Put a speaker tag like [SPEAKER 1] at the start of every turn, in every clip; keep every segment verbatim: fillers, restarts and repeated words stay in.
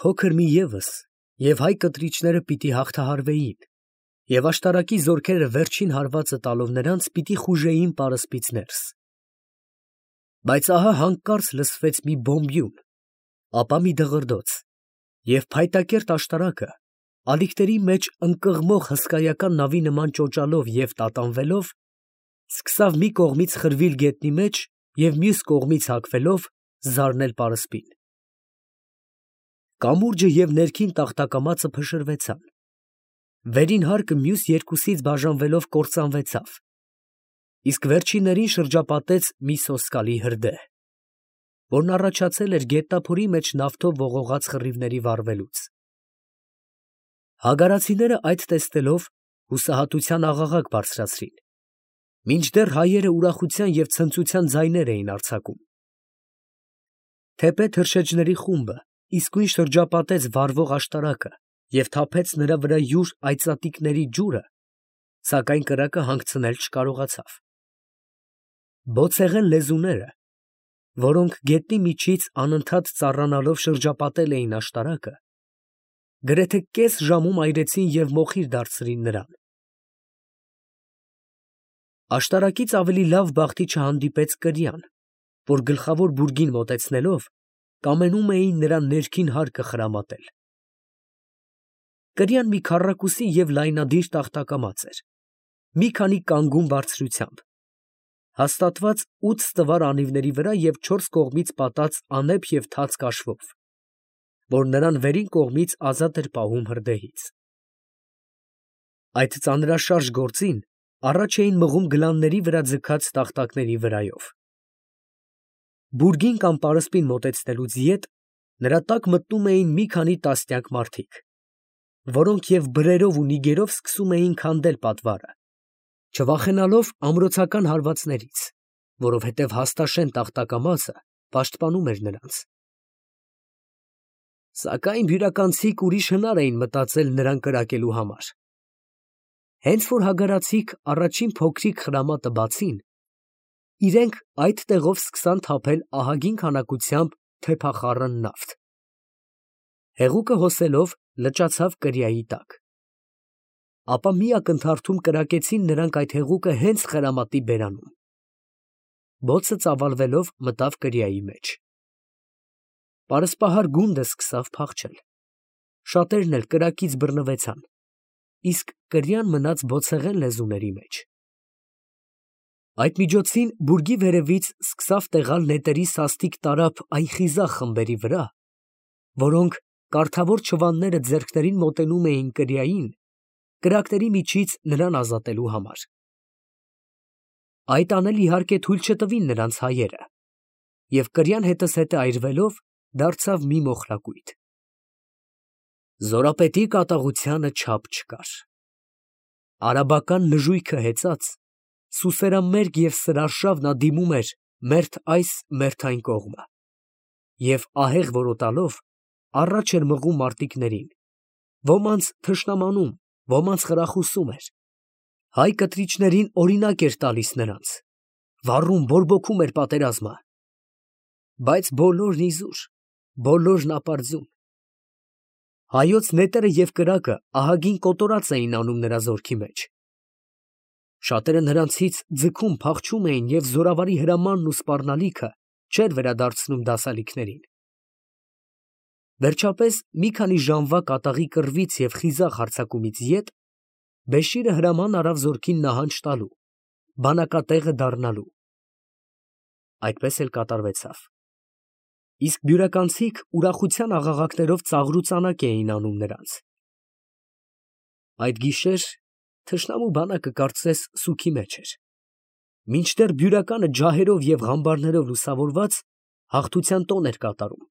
[SPEAKER 1] Փոքր մի ևս, և հայ կտրիչները պիտի հաղթահարվեին, և աշտարակի զորքերը վերջին հարվածը տալով նրանց, պիտի խուժեին պարսպից ներս… Բայց ահա հանկարծ լսվեց մի բոմբյուն, ապա մի դղրդոց, և փայտակերտ աշտարակը, ալիքների մեջ ընկղմող հսկայական նավի նման ճոճալով և տատանվելով, սկսավ մի կողմից խրվել գետնի մեջ և մյուս կողմից հագվելով, զարնել պարսպին… Կամուրջը և ներքին տախտակամածը փշրվեցան, վերին հարկը մյուս երկուսից բաժանվելով կործանվեցավ, իսկ վերջիններին շրջապատեց մի սոսկալի հրդեհ, որն առաջացել էր գետնափորի մեջ նավթով ողողած խռիվների վառվելուց… Հագարացիները այդ տեսնելով հուսահատության աղաղակ բարձրացրին, մինչդեռ հայերը ուրախության և ցնծության ձայներ էին արձակում… Թեպետ թռչեջների խումբը իսկույն շրջապատեց վառվող աշտարակը և թափեց նրա վրա յուր այծատիկների ջուրը, սակայն կրակը հանգցնել չկարողացավ… Բոցեղեն լեզուները, որոնք գետնի միջից անընդհատ ծառանալով շրջապատել էին աշտարակը, գրեթե կես ժամում այրեցին և մոխիր դարձրին նրան… Աշտարակից ավելի լավ բախտի չհանդիպեց կրյան, որ գլխավոր բուրգին մոտեցնելով, կամենում էին նրա ներքին հարկը խրամատել… Կրյան մի քառակուսի և լայնադիր տախտակամաց էր, մի քանի կանգուն բարձրությամբ, հաստատված ութ ստվար անիվների վրա և չորս կողմից պատած անեփ և թաց կաշվով, որ նրան վերին կողմից ազատ էր պահում հրդեհից… Այդ ծանրաշարժ գործին առաջ էին մղում գլանների վրա ձգած տախտակների վրայով… Բուրգին կամ պարսպին մոտեցնելուց ետ նրա տակ մտնում էին մի քանի տասնյակ մարդիկ, որոնք և բրերով ու նիգերով սկսում էին քանդել պատվարը, չվախենալով ամրոցական հարվածներից, որովհետև հաստաշեն տախտակամածը պաշտպանում էր նրանց… Սակայն բյուրականցիք ուրիշ հնար էին մտածել նրան կրակելու համար… Հենց որ հագարացիք առաջին փոքրիկ խրամատը բացին, իրանք այդ տեղով սկսան թափել ահագին քանակությամբ թեփախառն նավթ… Հեղուկը հոսելով լճացավ կրիայի տակ… Ապա մի ակնթարթում կրակեցին նրանք այդ հեղուկը հենց խրամատի բերանում… Բոցը ծավալվելով մտավ կրիայի մեջ… Պարսպահար գունդը սկսավ փախչել, շատերն էլ կրակից բռնվեցան, իսկ կրյան մնաց բոցեղեն լեզուների մեջ… Այդ միջոցին բուրգի վերևից սկսավ տեղալ նետերի սաստիկ տարափ այն խիզախ խմբերի վրա, որոնք կառթավոր չվանները ձեռքներին մոտենում էին կրիային, կրակների միջից նրան ազատելու համար… Այդ անել իհարկե թույլ չտվին նրանց հայերը, և կրյան հետզհետե այրվելով, դարձավ մի մոխրակույտ… Զորապետի կատաղությանը չափ չկար… Արաբական նժույգը հեծած, սուսերամերկ և սրարշավ նա դիմում էր մերթ այս, մերթ այն կողմը և ահեղ որոտալով, առաջ էր մղում մարտիկներին, ոմանց թշնամանում, ոմանց խրախուսում էր, հայ կտրիչներին օրինակ էր տալիս նրանց, վառում, բորբոքում էր պատերազմը… Բայց բոլորն իզուր, բոլորն ապարդյուն… Հայոց նետերը և կրակը ահագին կոտորած էին անում նրա զորքի մեջ… Շատերը նրանցից ձգում, փախչում էին և զորավարի հրամանն ու սպառնալիքը չէր վերադարձնում դասալիքներին… Վերջապես մի քանի ժամվա կատաղի կռվից և խիզախ հարձակումից ետ Բեշիրը հրաման արավ զորքին նահանջ տալու, բանակատեղը դառնալու… Այդպես էլ կատարվեցավ… Իսկ բյուրականցիք ուրախության աղաղակներով ծաղրուծանակ էին անում նրանց… Այդ գիշեր թշնամու բանակը կարծես սուգի մեջ էր, մինչդեռ բյուրականը ջահերով և ղամբարներով լուսավորված հաղթության տոն էր կատարում…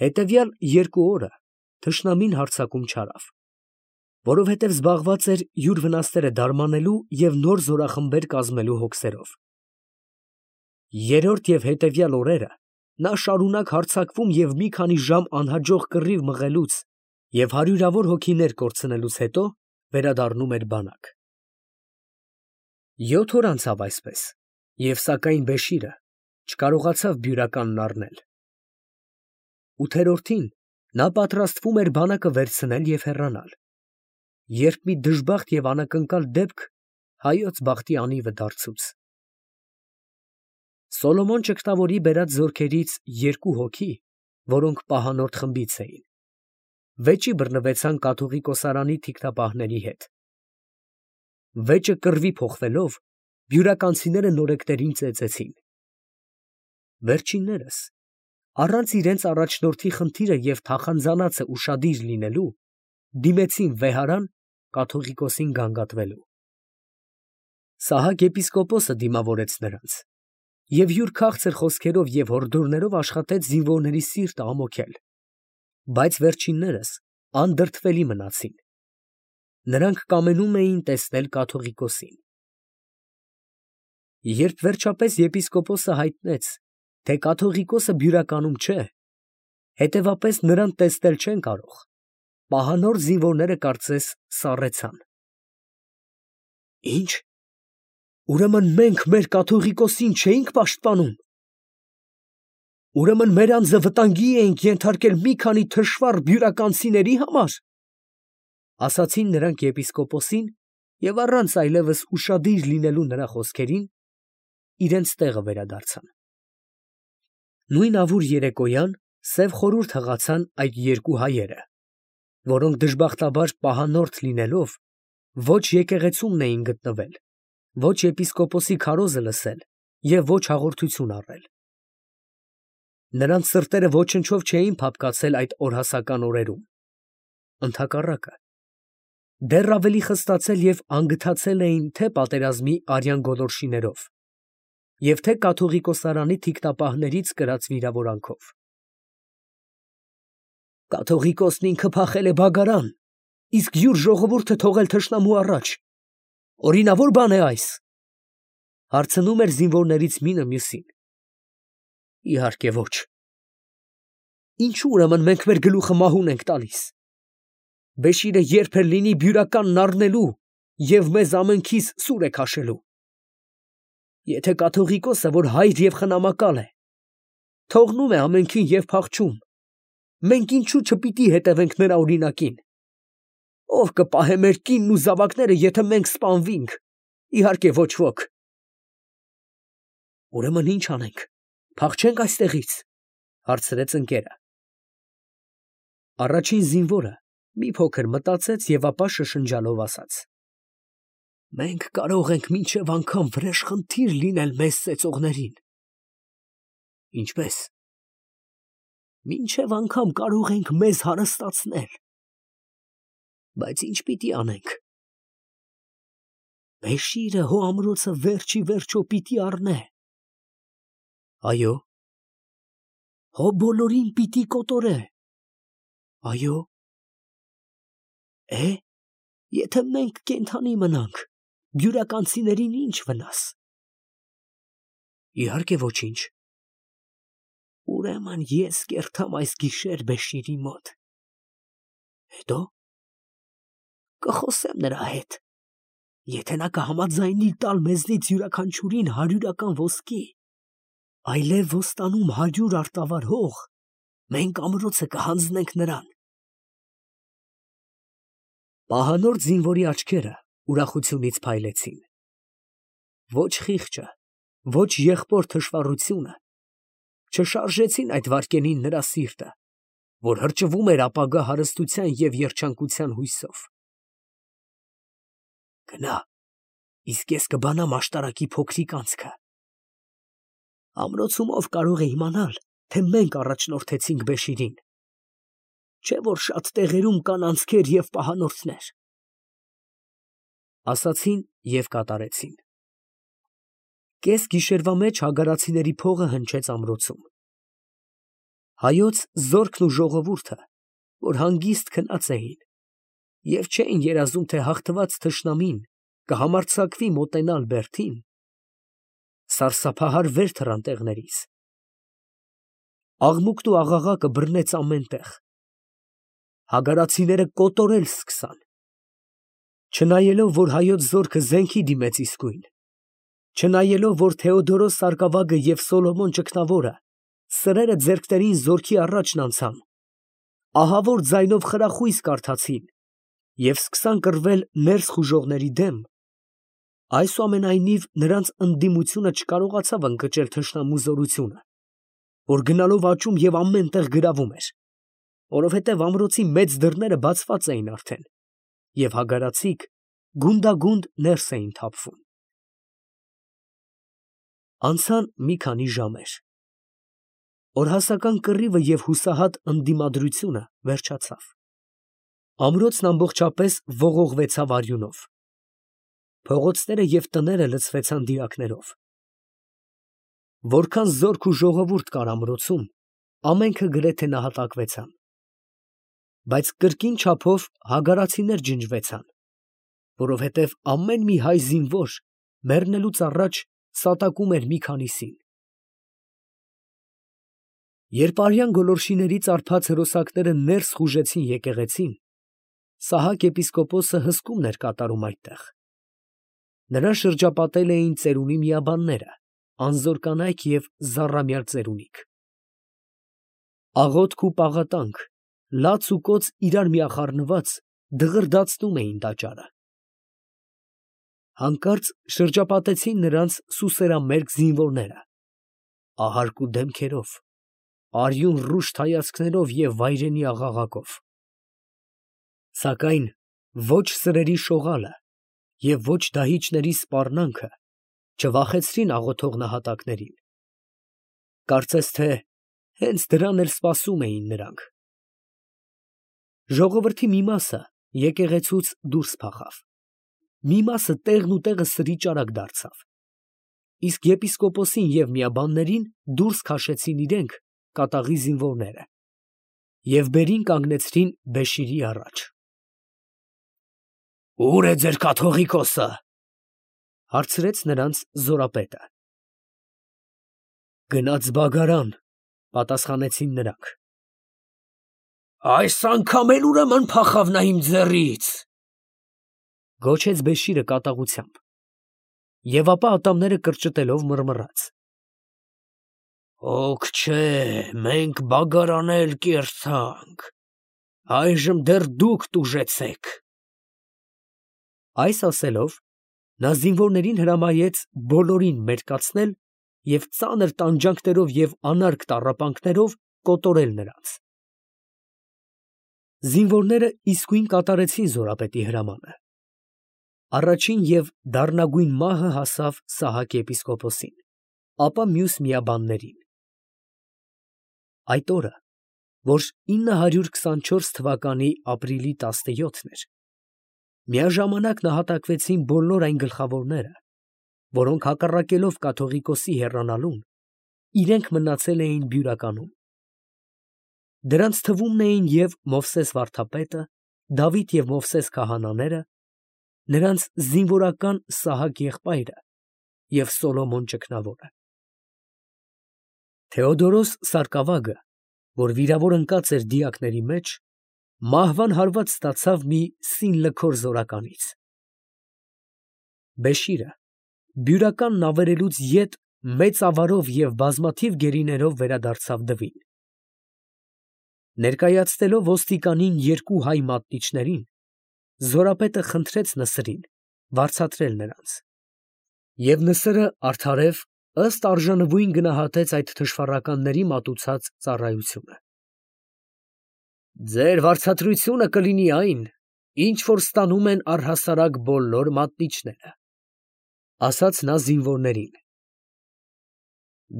[SPEAKER 1] Հետևյալ երկու օրը թշնամին հարձակում չարավ, որովհետև զբաղված էր յուր վնասները դարմանելու և նոր զորախմբեր կազմելու հոգսերով… Երրորդ և հետևյալ օրերը նա շարունակ հարձակվում և մի քանի ժամ անհաջող կռիվ մղելուց և հարյուրավոր հոգիներ կորցնելուց հետո վերադառնում էր բանակ… Յոթ օր անցավ այսպես, և սակայն Բեշիրը չկարողացավ բյուրականն առնել… Ութերորդին նա պատրաստվում էր բանակը վերցնել և հեռանալ, երբ մի դժբախտ և անակնկալ դեպք հայոց բախտի անիվը դարձուց. Սոլոմոն ճգնավորի բերած զորքերից երկու հոգի, որոնք պահանորդ խմբից էին, վեճի բռնվեցան կաթողիկոսարանի թիկնապահների հետ. վեճը կռվի փոխվելով, բյուրականցիները նորեկներին ծեծեցին. վերջիններս, առանց իրենց առաջնորդի խնդիրը և թախանձանածը ուշադիր լինելու, դիմեցին վեհարան կաթողիկոսին գանգատվելու։ Սահակ եպիսկոպոսը դիմավորեց նրանց և յուր քաղցր խոսքերով և հորդորներով աշխատեց զինվորների սիրտը ամոքել, բայց վերջիններս անդրդվելի մնացին. նրանք կամենում էին տեսնել կաթողիկոսին։ Երբ վերջապես եպիսկոպոսը հայտնեց, թե կաթողիկոսը բյուրականում չէ, հետևապես նրան տեսնել չեն կարող, պահանորդ զինվորները կարծես սառեցան։ Ի՞նչ, ուրեմն մենք մեր կաթողիկոսին չէինք պաշտպանում, ուրեմն մեր անձը վտանգի էինք ենթարկել մի քանի թշվառ բյուրականցիների համար, ասացին նրանք եպիսկոպոսին և առանց այլևս ուշադիր լինելու նրա խոսքերին, իրենց տեղը վերադարձան։ Նույն ավուր երեկոյան սև խորհուրդ հղացան այդ երկու հայերը, որոնք դժբախտաբար պահանորդ լինելով, ոչ եկեղեցումն էին գտնվել, ոչ եպիսկոպոսի քարոզը լսել և ոչ հաղորդություն առել։ Նրանց սրտերը ոչնչով չէին փափկացել այդ օրհասական օրերում, ընդհակառակը, դեռ ավելի խստացել և անգթացել էին թե պատերազմի արյան գոլորշիներով և թե կաթողիկոսարանի թիկնապահներից կրած վիրավորանքով։ Կաթողիկոսն ինքը փախել է բագարան, իսկ յուր ժողովուրդը թողել թշնամու առաջ, օրինավոր բան է այս, հարցնում էր զինվորներից մինը մյուսին։ Իհարկե ոչ։ Ինչո՞ւ ուրեմն մենք մեր գլուխը մահուն ենք տալիս։ Բեշիրը երբ էլ լինի բյուրականն առնելու և մեզ ամենքիս սուր է քաշելու։ Եթե կաթողիկոսը, որ հայր և խնամակալ է, թողնում է ամենքին և փախչում, մենք ինչո՞ւ չպիտի հետևենք նրա օրինակին։ Ո՞վ կպահե մեր կինն ու զավակները, եթե մենք սպանվենք, իհարկե ոչ ոք։ Ուրեմն ի՞նչ անենք, փախչե՞նք այստեղից, հարցրեց ընկերը։ Առաջին զինվորը մի փոքր մտածեց և ապա շշնջալով ասաց. Մենք կարող ենք մինչև անգամ վրեժխնդիր լինել մեզ ծեծողներին։ Ինչպե՞ս։ Մինչև անգամ կարող ենք մեզ հարստացնել։ Բայց ի՞նչ պիտի անենք։ Բեշիրը հո ամրոցը վերջ ի վերջո պիտի առնե։ Այո։ Հո բոլորին պիտի կոտորե։ Այո։ Է, եթե մենք կենդանի մնանք, բյուրականցիներին ի՞նչ վնաս։ Իհարկե ոչինչ։ Ուրեմն ես կերթամ այս գիշեր Բեշիրի մոտ։ Հետո կխոսեմ նրա հետ, եթե նա կհամաձայնի տալ մեզնից յուրաքանչյուրին հարյուրական ոսկի, այլև ոստանում հարյուր արտավար հող, մենք ամրոցը կհանձնենք նրան։ Պահանորդ զինվորի աչքերը ուրախությունից փայլեցին։ Ոչ խիղճը, ոչ եղբոր թշվառությունը չշարժեցին այդ վայրկյանին նրա սիրտը, որ հրճվում էր ապագա հարստության և երջանկության հույսով։ Գնա, իսկ ես կբանամ աշտարակի փոքրիկ անցքը։ Ամրոցում ով կարող է իմանալ, թե մենք առաջնորդեցինք Բեշիրին, չէ՞ որ շատ տեղերում կան անցքեր և պահանորդներ։ Ասացին և կատարեցին։ Կես գիշերվա մեջ հագարացիների փողը հնչեց ամրոցում։ Հայոց զորքն ու ժողովուրդը, որ հանգիստ քնած էին և չէին երազում, թե հաղթված թշնամին կհամարձակվի մոտենալ բերդին, սարսափահար վեր թռան տեղներից։ Աղմուկն ու աղաղակը բռնեց ամեն տեղ։ Հագարացիները կոտորել սկսան։ Չնայելով, որ հայոց զորքը զենքի դիմեց իսկույն, չնայելով, որ Թեոդորոս սարկավագը և Սոլոմոն ճգնավորը սրերը ձեռքներին զորքի առաջն անցան, ահավոր ձայնով խրախույս կարդացին և սկսան կռվել ներս խուժողների դեմ, այսուամենայնիվ նրանց ընդդիմությունը չկարողացավ ընկճել թշնամու զորությունը, որ գնալով աճում և ամեն տեղ գրավում էր, որովհետև ամրոցի մեծ դռները բացված էին արդեն, և հագարացիք գունդագունդ ներս էին թափվում։ Անցան մի քանի ժամեր։ Օրհասական կռիվը և հուսահատ ընդդիմադրությունը վերջացավ։ Ամրոցն ամբողջապես ողողվեցավ արյունով։ Փողոցները և տները լցվեցան դիակներով։ Որքան զորք ու ժողովուրդ կար ամրոցում, ամենքը գրեթե նահատակվեցան։ Բայց կրկին չափով հագարացիներ ջնջվեցան, որովհետև ամեն մի հայ զինվոր մեռնելուց առաջ սատակում էր մի քանիսին։ Երբ արյան գոլորշիներից արբած հրոսակները ներս խուժեցին եկեղեցին, Սահակ եպիսկոպոսը հսկումն էր կատարում այդտեղ։ Նրան շրջապատել էին ծերունի միաբանները, անզոր կանայք և զառամյալ ծերունիք։ Աղոթք ու պաղատանք, լաց ու կոծ իրար միախառնված, դղրդացնում էին տաճարը։ Հանկարծ շրջապատեցին նրանց սուսերամերկ զինվորները, ահարկ ու դեմքերով, արյուն ռուշտ հայացքներով և վայրենի աղաղակով։ Սակայն ոչ սրերի շողալը և ոչ դահիճների սպառնանքը չվախեցրին աղոթող նահատակներին։ Կարծես թե հենց դրան էլ սպասում էին նրանք։ Ժողովրդի մի մասը եկեղեցուց դուրս փախավ, մի մասը տեղն ու տեղը սրի ճարակ դարձավ, իսկ եպիսկոպոսին և միաբաններին դուրս քաշեցին իրենք կատաղի զինվորները և բերին կանգնեցրին Բեշիրի առաջ։ «Ո՞ւր է ձեր կաթողիկոսը» ֊ հարցրեց նրանց զորապետը։ «Գնաց բագարան», ֊ պատասխանեցին նրանք։ «Այս անգամ էլ ուրեմն փախավ նա իմ ձեռից, ֊ գոչեց Բեշիրը կատաղությամբ, և ապա ատամները կրճտելով մռմռաց. «Հոգ չէ, մենք բագարան էլ կերցանք, այժմ դեռ դուք տուժեցեք»։ Այս ասելով, նա զինվորներին հրամայեց բոլորին մերկացնել և ծանր տանջանքներով և անարգ տառապանքներով կոտորել նրանց։ Զինվորները իսկույն կատարեցին զորապետի հրամանը։ Առաջին և դառնագույն մահը հասավ Սահակ եպիսկոպոսին, ապա մյուս միաբաններին։ Այդ օրը, որ ինը հարյուր քսանչորս թվականի ապրիլի տասնյոթն էր, միաժամանակ նահատակվեցին բոլոր այն գլխավորները, որոնք հակառակելով կաթողիկոսի հեռանալուն, իրենք մնացել էին Բյուրականում։ Դրանց թվում էին և Մովսես վարդապետը, Դավիթ և Մովսես քահանաները, նրանց զինվորական Սահակ եղբայրը և Սոլոմոն ճգնավորը։ Թեոդորոս սարկավագը, որ վիրավոր ընկած էր դիակների մեջ, մահվան հարված ստացավ մի սին լքոր զորականից։ Բեշիրը Բյուրականն ավերելուց ետ մեծ ավարով և բազմաթիվ գերիներով վերադարձավ դվին։ Ներկայացնելով ոստիկանին երկու հայ մատնիչներին, զորապետը խնդրեց Նսրին վարձատրել նրանց, և Նսրը արդարև ըստ արժանվույն գնահատեց այդ թշվառականների մատուցած ծառայությունը։ «Ձեր վարձատրությունը կլինի այն, ինչ որ ստանում են առհասարակ բոլոր մատնիչները», ֊ ասաց նա զինվորներին։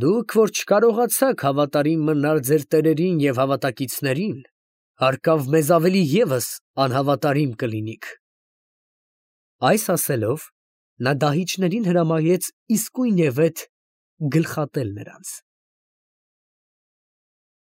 [SPEAKER 1] «Դուք որ չկարողացաք հավատարիմ մնալ ձեր տերերին և հավատակիցներին, հարկավ մեզ ավելի ևս անհավատարիմ կլինիք»։ Այս ասելով, նա դահիճներին հրամայեց իսկույնևեթ գլխատել նրանց։